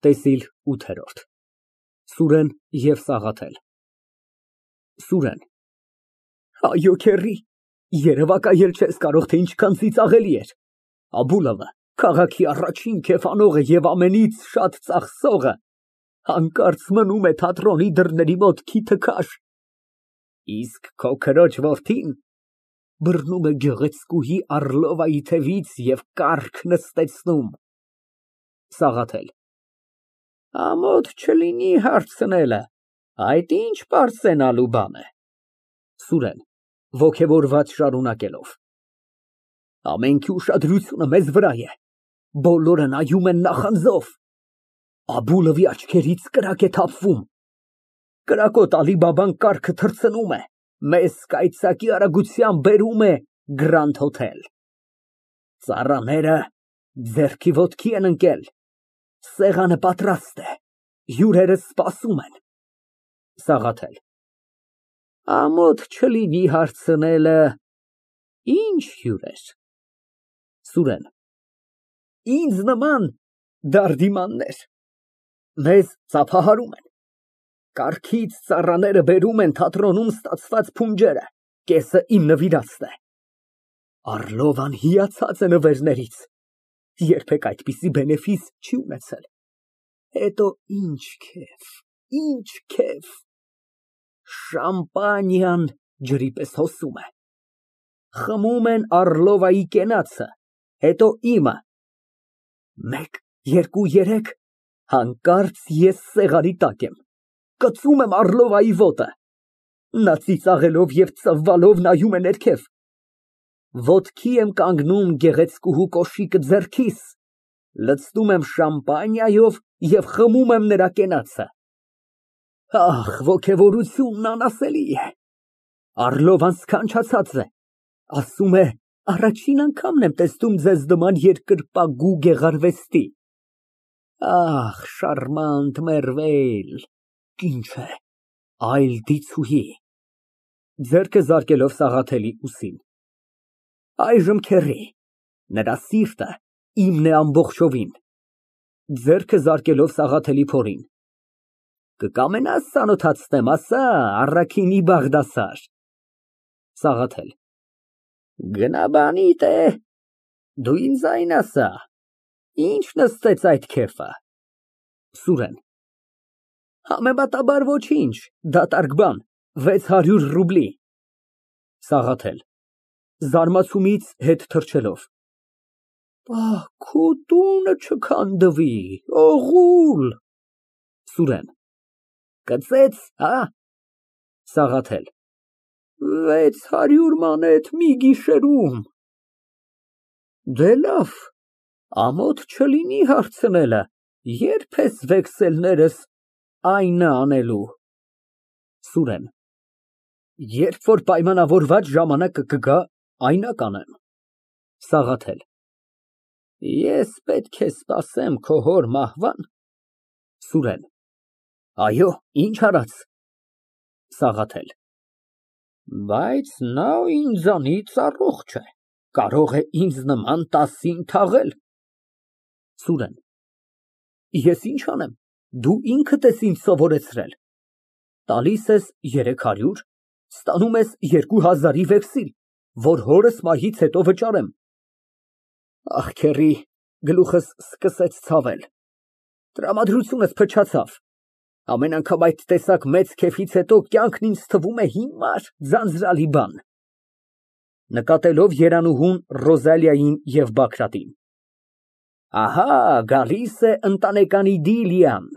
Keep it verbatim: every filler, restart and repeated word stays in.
ՏԵՍԻԼ ՈՒԹԵՐՈՐԴ ՍՈՒՐԵՆ ԵՎ ՍԱՂԱԹԵԼ ՍՈՒՐԵՆ ֊ Այո, քեռի, երևակայել չես կարող, թե ինչքան ծիծաղելի էր, Աբուլովը, քաղաքի առաջին քեֆ անողը և ամենից շատ ծախսողը, հանկարծ մնում է թատրոնի դռների մոտ քիթը քաշ, իսկ քո քրոջ որդին բռնում է գեղեցկուհի Առլովայի թևից և կառք նստեցնում։ ՍԱՂԱԹԵԼ ֊ Ամոթ չլինի հարցնելը, այդ ինչ պարծենալու բան է։ ՍՈՒՐԵՆ ֊ (Ոգևորված շարունակելով) Ամենքի ուշադրությունը մեզ վրա է, բոլորը նայում են նախանձով, Աբուլովի աչքերից կրակ է թափվում, կրակոտ Ալի֊Բաբան կառքը թռցնում է, մեզ կայծակի արագությամբ բերում է Գրանդ֊հոթել, ծառաները ձեռքի ոտքի են ընկել, սեղանը պատրաստ է, հյուրերը սպասում են։ ՍԱՂԱԹԵԼ ֊ Ամոթ չլինի հարցնելը, ի՞նչ հյուրեր։ ՍՈՒՐԵՆ ֊ Ինձ նման դարդիմաններ, մեզ ծափահարում են, կառքից ծառաները բերում են թատրոնում ստացված փունջերը, կեսը իմ նվիրածն է, Առլովան հիացած է նվերներից, երբեք այդպիսի բենեֆիս չի ունեցել, հետո ինչ քեֆ, ինչ քեֆ, շամպանիան ջրի պես հոսում է, խմում են Առլովայի կենացը, հետո իմը, մեկ, երկու, երեկ, հանկարծ ես սեղանի տակ եմ, կծում եմ Առլովայի ոտը, նա ծիծաղելով և ծվվալով նայում է ներքև, ոտքի եմ կանգնում գեղեցկուհու կոշիկը ձեռքիս, լցնում եմ շամպանիայով և խմում եմ նրա կենացը։ Ահ, ոգևորությունն անասելի է, Առլովան սքանչացած է, ասում է, առաջին անգամն եմ տեսնում ձեզ նման երկրպագու գեղարվեստի։ Ահ, շարմանտ մերվեյլ, ինչ է, այլ դիցուհի։ (Ձեռքը զարկելով Սաղաթելի ուսին) Այժմ, քեռի, նրա սիրտը իմն է ամբողջովին։ (Ձեռքը զարկելով Սաղաթելի փորին) Կկամենա՞ս ծանոթացնեմ, ասա, առաքինի Բաղդասար։ ՍԱՂԱԹԵԼ ֊ Գնա բանիդ է, դու ինձ ասա, ինչ նստեց այդ քեֆը։ ՍՈՒՐԵՆ ֊ Համեմատաբար ոչինչ, դատարկ բան, վեց հարյուր ռուբլի։ ՍԱՂԱԹԵԼ ֊ (Զարմանալուց հետ թռչելով) Փահ, տունը չքանդվի, օղուլ։ ՍՈՒՐԵՆ ֊ Կծեց, հա։ ՍԱՂԱԹԵԼ ֊ Վեց հարյուր մանեթ մի գիշերում։ Դե լավ, ամոթ չլինի հարցնելը, ե՞րբ ես վեքսելներս այնա անելու։ ՍՈՒՐԵՆ ֊ Երբ որ պայմանավորված ժամանակը կգա, այնա կանեմ։ ՍԱՂԱԹԵԼ ֊ Ես պետք է սպասեմ քո հոր մահվա՞ն։ ՍՈՒՐԵՆ ֊ Այո, ինչ արած։ ՍԱՂԱԹԵԼ ֊ Բայց նա ինձանից առողջ է, կարող է ինձ նման տասին թաղել։ ՍՈՒՐԵՆ ֊ Ես ինչ անեմ, դու ինքդ ես ինձ սովորեցրել, տալիս ես երեք հարյուր, ստանում ես երկու հազարի վեքսիլ, որ հորս մահից հետո վճարեմ։ Ախ, քեռի, գլուխս սկսեց ցավել, տրամադրությունս փչացավ, ամեն անգամ այդ տեսակ մեծ քեֆից հետո կյանքն ինձ թվում է հիմար, ձանձրալի բան։ (Նկատելով Երանուհուն, Ռոզալիային և Բագրատին) Ահա գալիս է ընտանեկան իդիլիան։